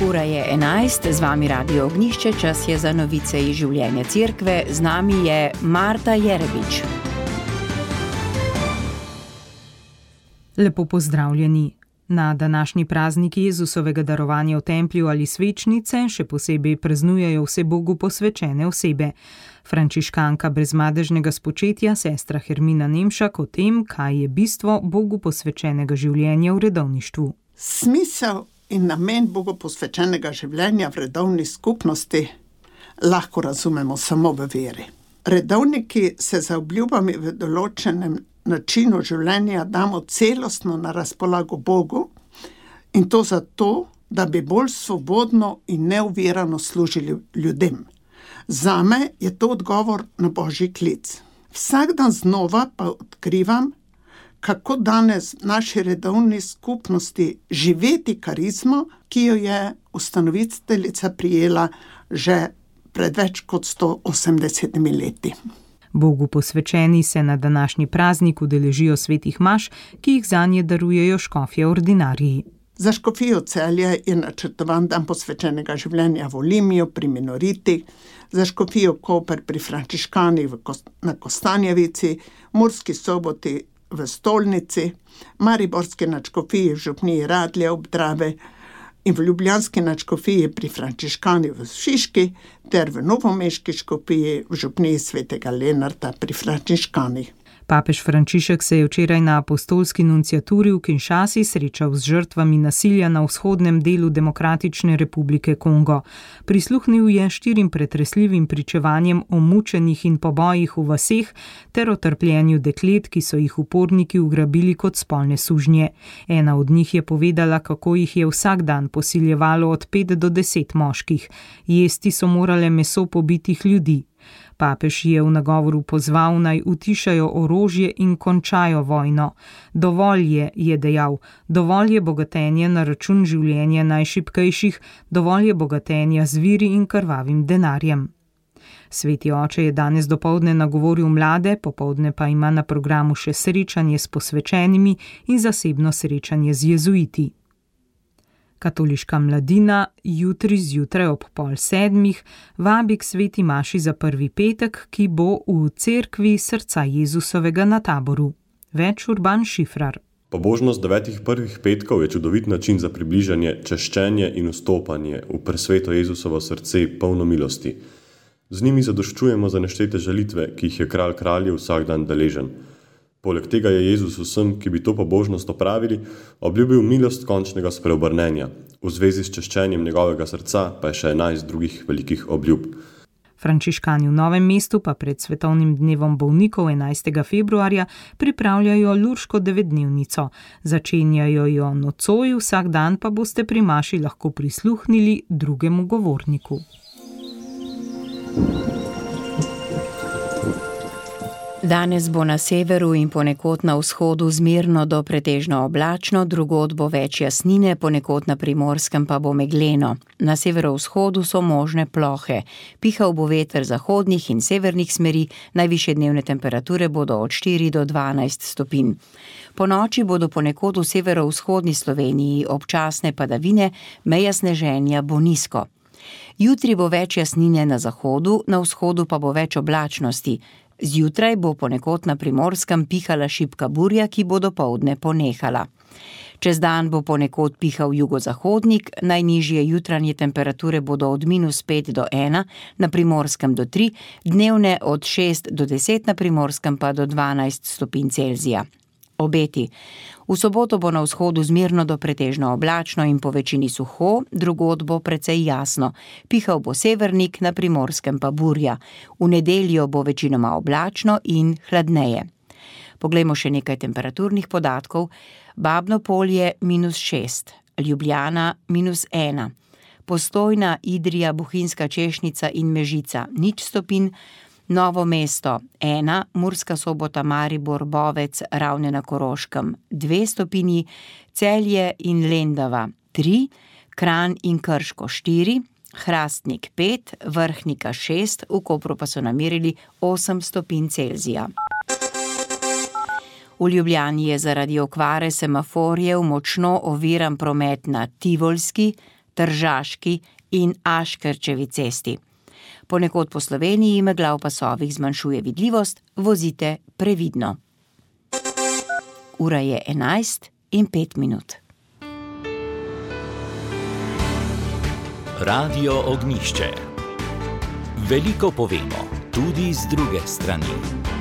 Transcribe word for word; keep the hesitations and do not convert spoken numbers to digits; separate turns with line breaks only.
Ura je enajst, z vami Radio Ognjišče, čas je za novice iz življenja cerkve, z nami je Marta Jerebič.
Lepo pozdravljeni. Na današnji praznik Jezusovega darovanja v templju ali svečnice še posebej praznujejo vse Bogu posvečene osebe. Frančiškanka brezmadežnega spočetja, sestra Hermina Nemšak, o tem, kaj je bistvo Bogu posvečenega življenja v redovništvu.
Smisel in namen Bogu posvečenega življenja v redovni skupnosti lahko razumemo samo v veri. Redovniki se za obljubami v določenem načinu življenja damo celostno na razpolago Bogu in to zato, da bi bolj svobodno in neovirano služili ljudem. Zame je to odgovor na Božji klic. Vsak dan znova pa odkrivam, kako danes v naši redovni skupnosti živeti karizmo, ki jo je ustanoviteljica prijela že pred več kot sto osemdesetimi leti.
Bogu posvečeni se na današnji praznik udeležijo svetih maš, ki jih zanje darujejo škofje ordinariji.
Za škofijo Celje je načrtovan dan posvečenega življenja v Olimiju pri Minoriti, za škofijo Koper pri Frančiškanih na Kostanjevici, Murski Soboti v Stolnici, Mariborski nadškofiji v župniji Radlje ob Dravi in v ljubljanski nadškofiji pri Frančiškanih v Šiški ter v novomeški škofiji v župniji svetega Lenarta pri Frančiškanih.
Papež Frančišek se je včeraj na apostolski nunciaturi v Kinshasi srečal z žrtvami nasilja na vzhodnem delu Demokratične republike Kongo. Prisluhnil je štirim pretresljivim pričevanjem o mučenjih in pobojih v vaseh ter o trpljenju deklet, ki so jih uporniki ugrabili kot spolne sužnje. Ena od njih je povedala, kako jih je vsak dan posiljevalo od pet do deset moških. Jesti so morale meso pobitih ljudi. Papež je v nagovoru pozval, naj utišajo orožje in končajo vojno. Dovolj je, je dejal, dovolj je bogatenja na račun življenja najšibkejših, dovolj je bogatenja z viri in krvavim denarjem. Sveti oče je danes dopoldne nagovoril mlade, popoldne pa ima na programu še srečanje s posvečenimi in zasebno srečanje z jezuiti. Katoliška mladina jutri zjutraj ob pol sedmih vabi k sveti maši za prvi petek, ki bo v cerkvi srca Jezusovega na Taboru. Več Urban Šifrar.
Pobožnost devetih prvih petkov je čudovit način za približanje, češčenje in vstopanje v presveto Jezusovo srce polno milosti. Z njimi zadoščujemo za neštete žalitve, ki jih je kralj kraljev vsak dan deležen. Poleg tega je Jezus vsem, ki bi to pobožnost opravili, obljubil milost končnega spreobrnenja. V zvezi s češčenjem njegovega srca pa je še enajst drugih velikih obljub.
Frančiškani v Novem mestu pa pred svetovnim dnevom bolnikov enajstega februarja pripravljajo lurško devetdnevnico. Začenjajo jo nocoj, vsak dan pa boste pri maši lahko prisluhnili drugemu govorniku.
Danes bo na severu in ponekod na vzhodu zmerno do pretežno oblačno, drugod bo več jasnine, ponekod na Primorskem pa bo megleno. Na severovzhodu so možne plohe. Pihal bo veter zahodnih in severnih smeri, najvišje dnevne temperature bodo od štiri do dvanajst stopinj. Po noči bodo ponekod v severovzhodni Sloveniji občasne padavine, meja sneženja bo nizko. Jutri bo več jasnine na zahodu, na vzhodu pa bo več oblačnosti. Zjutraj bo ponekod na Primorskem pihala šibka burja, ki bo dopoldne ponehala. Čez dan bo ponekod pihal jugozahodnik, najnižje jutranje temperature bodo od minus pet do ena, na Primorskem do tri, dnevne od šest do deset, na Primorskem pa do dvanajst stopinj Celzija. Obeti. V soboto bo na vzhodu zmerno do pretežno oblačno in po večini suho, drugod bo precej jasno. Pihal bo severnik, na Primorskem pa burja. V nedeljo bo večinoma oblačno in hladneje. Poglejmo še nekaj temperaturnih podatkov. Babno Polje minus šest, Ljubljana minus ena, Postojna, Idrija, Bohinjska Češnica in Mežica nič stopinj, Novo mesto ena, Murska Sobota, Maribor, Bovec, Ravne na Koroškem dve stopinji, Celje in Lendava tri, Kranj in Krško štiri, Hrastnik pet, Vrhnika šest, v Kopru pa so namerili osem stopinj Celzija. V Ljubljani je zaradi okvare semaforjev močno oviran promet na Tivolski, Tržaški in Aškerčevi cesti. Ponekod po Sloveniji megla v pasovih zmanjšuje vidljivost, vozite previdno. Ura je enajst in pet minut.
Radio Ognjišče. Veliko povemo, tudi z druge strani.